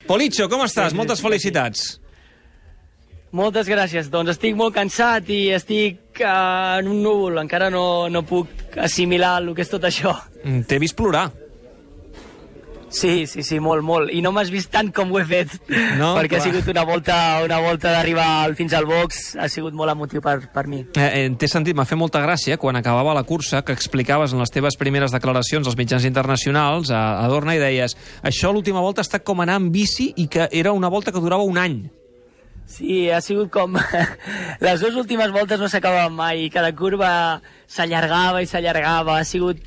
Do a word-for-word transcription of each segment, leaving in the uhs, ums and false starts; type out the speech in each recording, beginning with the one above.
Politxo, com estàs? Moltes felicitats. Moltes gràcies. Doncs estic molt cansat i estic uh, en un núvol. Encara no, no puc assimilar el que és tot això. T'he vist plorar. Sí, sí, sí, molt, molt. I no m'has vist tant com ho he fet, no, perquè clar. ha sigut una volta, una volta d'arribar fins al box, ha sigut molt emotiu per, per mi. Eh, eh, T'he sentit, m'ha fet molta gràcia, quan acabava la cursa, que explicaves en les teves primeres declaracions als mitjans internacionals, a, a Dorna, i deies, això l'última volta ha estat com anar amb bici i que era una volta que durava un any. Sí, ha sigut com... Les dues últimes voltes no s'acabaven mai, cada curva s'allargava i s'allargava, ha sigut...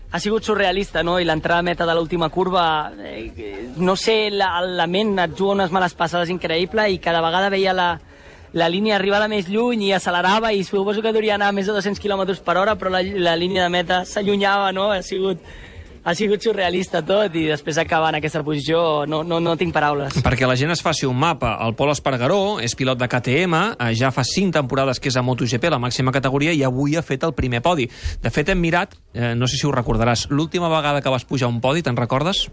Ha sigut surrealista, no? I l'entrada a meta de l'última curva, eh, no sé, la, la ment et juga unes males passades increïble i cada vegada veia la, la línia arribada més lluny i accelerava i suposo que duria anar a més de dos-cents quilòmetres per hora, però la, la línia de meta s'allunyava, no? Ha sigut... Ha sigut surrealista tot i després acabar en aquesta posició no, no, no tinc paraules. Perquè la gent es faci un mapa, el Pol Espargaró és pilot de K T M, ja fa cinc temporades que és a MotoGP, la màxima categoria, i avui ha fet el primer podi. De fet, hem mirat, eh, no sé si ho recordaràs, l'última vegada que vas pujar un podi, te'n recordes?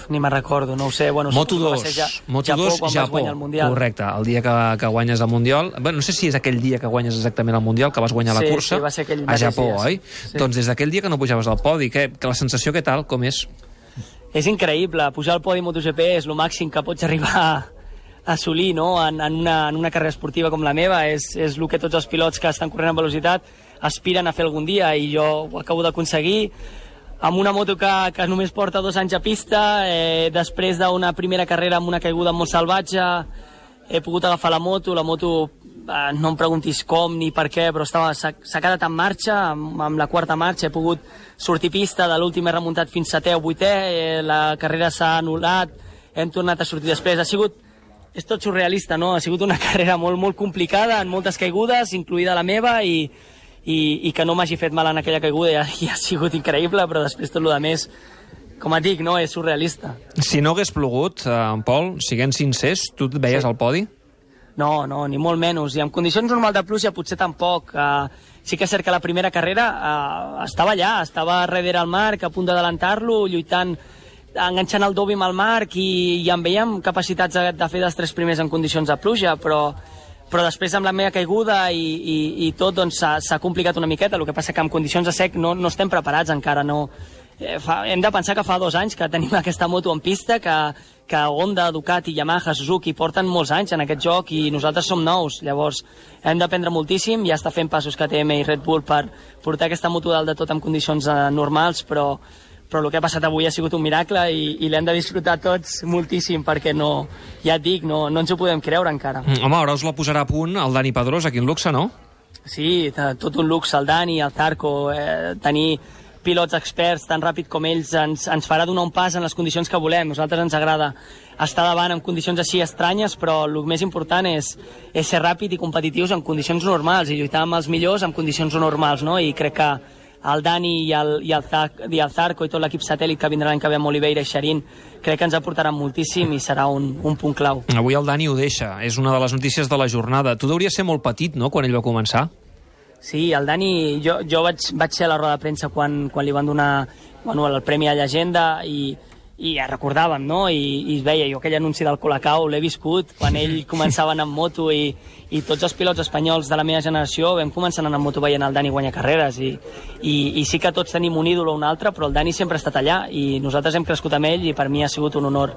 Ni me'n recordo, no ho sé. Bueno, Moto dos, ja, Moto dos, Japó, Japó, el correcte, el dia que, que guanyes el Mundial. Bueno, no sé si és aquell dia que guanyes exactament el Mundial, que vas guanyar sí, la cursa, sí, va ser aquell a Japó, dies. oi? Sí. Doncs des d'aquell dia que no pujaves al podi, que, que la sensació què tal, com és? És increïble, pujar al podi MotoGP és el màxim que pots arribar a assolir, no? en, en, una, en una carrera esportiva com la meva, és, és el que tots els pilots que estan corrent amb velocitat aspiren a fer algun dia, i jo ho acabo d'aconseguir amb una moto que, que només porta dos anys a pista, eh, després d'una primera carrera amb una caiguda molt salvatge, he pogut agafar la moto, la moto, eh, no em preguntis com ni per què, però s'ha quedat en marxa, amb, amb la quarta marxa he pogut sortir pista, de l'últim he remuntat fins setè o vuitè, eh, la carrera s'ha anul·lat, hem tornat a sortir després, ha sigut, és tot surrealista, no? Ha sigut una carrera molt, molt complicada, en moltes caigudes, incluïda la meva, i I, i que no m'hagi fet mal en aquella caiguda ja, ja ha sigut increïble, però després tot el que més, com et dic, no, és surrealista. Si no hagués plogut, eh, en Pol, siguent sincers, tu et veies sí. al podi? No, no, ni molt menys. I en condicions normals de pluja potser tampoc. Uh, sí que és cert que la primera carrera uh, estava allà, estava darrere el Marc, a punt d'adelantar-lo, lluitant, enganxant el dobi amb el Marc, i, i en veiem capacitats de, de fer dels tres primers en condicions de pluja, però... però després amb la meva caiguda i, i, i tot doncs s'ha complicat una miqueta. El que passa que en condicions de sec no, no estem preparats encara, no. Eh, fa, hem de pensar que fa dos anys que tenim aquesta moto en pista, que, que Honda, Ducati, Yamaha, Suzuki porten molts anys en aquest joc i nosaltres som nous. Llavors hem d'aprendre moltíssim, ja està fent passos K T M i Red Bull per portar aquesta moto dalt de tot en condicions eh, normals, però però el que ha passat avui ha sigut un miracle i, i l'hem de disfrutar tots moltíssim, perquè no, ja et dic, no, no ens ho podem creure encara. Mm, home, ara us la posarà a punt el Dani Pedrosa, quin luxe, no? Sí, tot un luxe, el Dani, el Zarco, eh, tenir pilots experts tan ràpid com ells ens, ens farà donar un pas en les condicions que volem. A nosaltres ens agrada estar davant en condicions així estranyes, però el més important és, és ser ràpid i competitius en condicions normals i lluitar amb els millors en condicions normals, no? I crec que el Dani i el, i el, Zarco, i el Zarco i tot l'equip satèl·lit que vindrà l'any que ve amb Oliveira i Xarín, crec que ens aportaran moltíssim i serà un, un punt clau. Avui el Dani ho deixa, és una de les notícies de la jornada. Tu deuries ser molt petit, no?, quan ell va començar. Sí, el Dani, jo, jo vaig, vaig ser a la roda de premsa quan, quan li van donar bueno, el Premi a Llegenda i, i ja recordàvem, no? I, i es veia, jo aquell anunci del Colacao l'he viscut quan ell començava a anar amb moto i, i tots els pilots espanyols de la meva generació vam començar a anar amb moto veient el Dani guanyar carreres i, i, i sí que tots tenim un ídol o un altre, però el Dani sempre ha estat allà i nosaltres hem crescut amb ell i per mi ha sigut un honor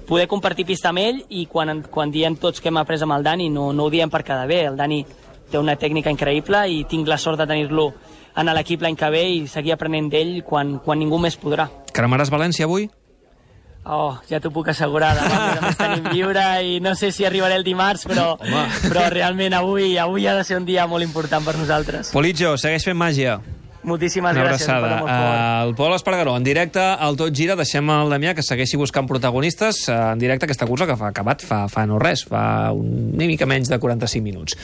poder compartir pista amb ell. I quan, quan diem tots que hem après amb el Dani no, no ho diem per quedar bé, el Dani té una tècnica increïble i tinc la sort de tenir-lo en l'equip l'any que ve i seguir aprenent d'ell quan, quan ningú més podrà. Cremaràs València avui? Oh, ja t'ho puc assegurar, demà a més tenim lliure i no sé si arribaré el dimarts, però, però realment avui, avui ha de ser un dia molt important per nosaltres. Politxo, segueix fent màgia. Moltíssimes una gràcies. Una abraçada. El Pol Espargaró, en directe al Tot Gira. Deixem el Damià que segueixi buscant protagonistes en directe aquesta cursa que fa acabat fa, fa no res, fa una mica menys de quaranta-cinc minuts.